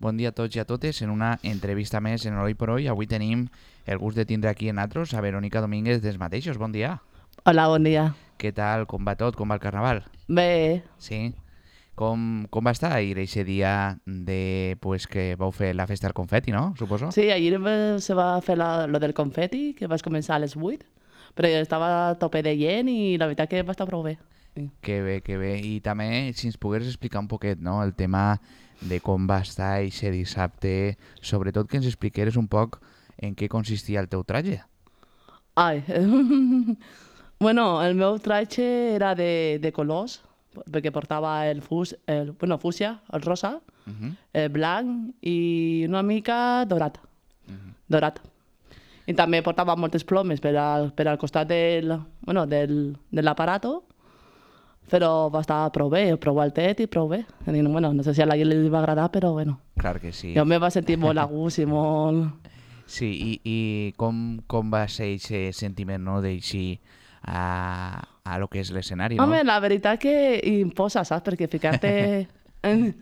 Bon dia a tots i a totes. En una entrevista més en Oi per Oi, avui tenim el gust de tindre aquí en nosaltres a Verónica Domínguez dels mateixos. Bon dia. Hola, bon dia. Què tal? Com va tot? Com va el carnaval? Bé, Sí? Com va estar ahir aquest dia pues, que vau fer la festa del confeti, no? Suposo? sí, ahir se va fer lo del confeti, que vas començar a les 8, però jo estava a tope de gent i la veritat que va estar prou bé. Sí. Que bé, que bé. I també, si ens pogués explicar un poquet, no?, el tema de com va estar aquest dissabte, sobretot que ens expliqueres un poc en què consistia el teu traje. Ai, bueno, el meu traje era de colors, perquè portava fúcsia, el rosa, el blanc i una mica dorat. Dorat. I també portava moltes plomes per al costat de l'aparato, però va estar prou bé, prou altet i prou bé. Bueno, no sé si a la gent li va agradar, però bueno. Clar que sí. Jo me va sentir molt a gust i molt... Sí, i com va ser aquest sentiment, no?, d'eixir a lo que és l'escenari, no? Home, la veritat que imposa, saps? Perquè ficar-te...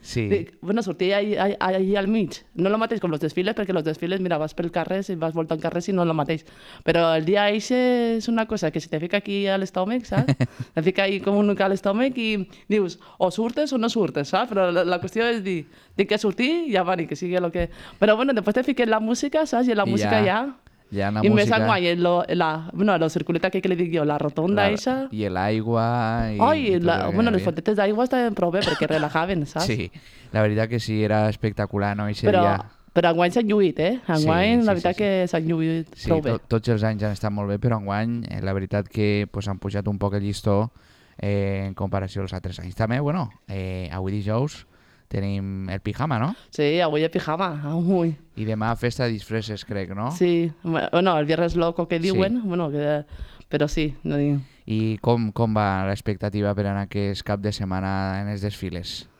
Sí. Bueno, sortir allà al mig. No el mateix com els desfiles, perquè els desfiles, mira, vas pel carrer, si vas voltant carrer, si no el mateix. Però el dia eixe és una cosa que se te fica aquí a l'estómac, saps? Te fica ahí com un a l'estómac i dius, o surtes o no surtes, saps? Però la qüestió és dir que sortir i ja va, ni que sigui el que... Però bueno, després te fiques la música, saps? I la música ja... Ja la I música... més enguany, la circuleta que li dic jo, la rotonda eixa... I l'aigua... les fontetes d'aigua estaven prou bé perquè relajaven, saps? Sí, la veritat que sí, era espectacular, no? Però enguany s'han lluït, Enguany, la veritat que s'han lluït prou bé. Sí, tots els anys han estat molt bé, però enguany, la veritat que pues, han pujat un poc el llistó en comparació als altres anys. També, bueno, avui dijous tenim el pijama, no? Sí, avui el pijama, avui. I demà festa de disfresses, crec, no? Sí, bueno, el viernes loco que diuen, però sí. No dic... I com va l'expectativa per anar aquest cap de setmana en els desfiles?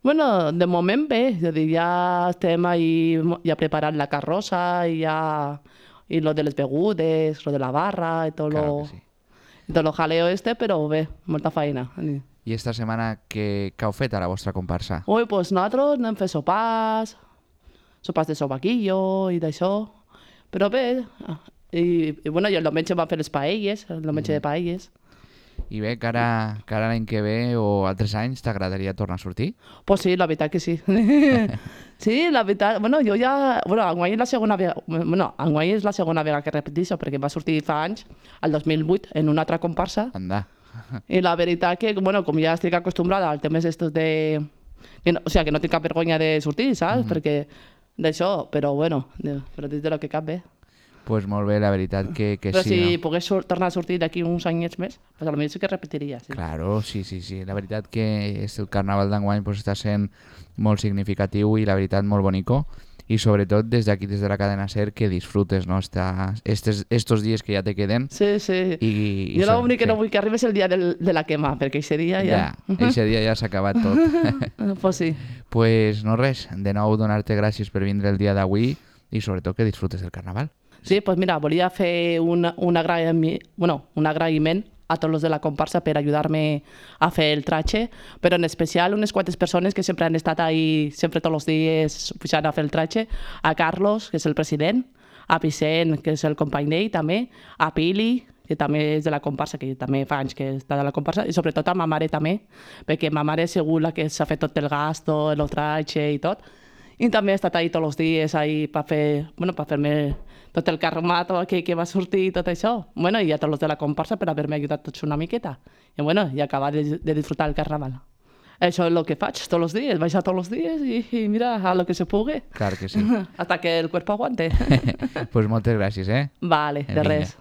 Bueno, de moment bé, és a dir, ja estem ahí, ja preparant la carrossa i lo de les begudes, lo de la barra i tot Claro que sí. i tot lo jaleo però bé, molta feina. I esta setmana què heu fet a la vostra comparsa? Ui, doncs nosaltres anem a fer sopars de sobaquillo i d'això, però bé, i bueno, i el diumenge vam fer les paelles, el diumenge de paelles. I bé, que ara l'any que ve o altres anys t'agradaria tornar a sortir? Pues sí, la veritat que sí. Sí, la veritat, jo ja... enguany és la segona vegada que repeteixo, perquè va sortir fa anys, el 2008, en una altra comparsa. Anda. I la veritat que, com ja estic acostumbrada als temes estos de... O sigui, que no tinc cap vergonya de sortir, saps? Perquè d'això, però dins de lo que cap bé. Pues molt bé, la veritat que però sí. Però si no? pogués tornar a sortir d'aquí uns anyets més, pues potser sí que repetiria. Sí. Claro, sí. La veritat que el carnaval d'enguany pues, està sent molt significatiu i la veritat molt bonico. I sobretot des d'aquí, des de la cadena SER, que disfrutes, no? Estos dies que ja te queden. Sí. Jo l'únic que no vull que arribi és el dia de la quema, perquè aquest dia ja... Aquest dia ja s'ha acabat tot. Pues sí. Pues no res, de nou donar-te gràcies per vindre el dia d'avui i sobretot que disfrutes del carnaval. Sí, pues mira, volia fer un agraïment a tots els de la comparsa per ajudar-me a fer el traje, però en especial unes quantes persones que sempre han estat ahí, sempre tots els dies pujant a fer el traje, a Carlos, que és el president, a Vicent, que és el company d'ell també, a Pili, que també és de la comparsa, que també fa anys que està de la comparsa, i sobretot a ma mare també, perquè ma mare és segur la que s'ha fet tot el gasto, el traje i tot, i també he estat ahí tots els dies per fer-me tot el carromato que va sortir i tot això. I a tots els de la comparsa per haver-me ajudat tots una miqueta. I acabar de disfrutar el carnaval. Això és el que faig tots els dies, baixar tots els dies i mira, a lo que se pugui. Clar que sí. Hasta que el cuerpo aguante. Pues moltes gràcies, Vale, de res.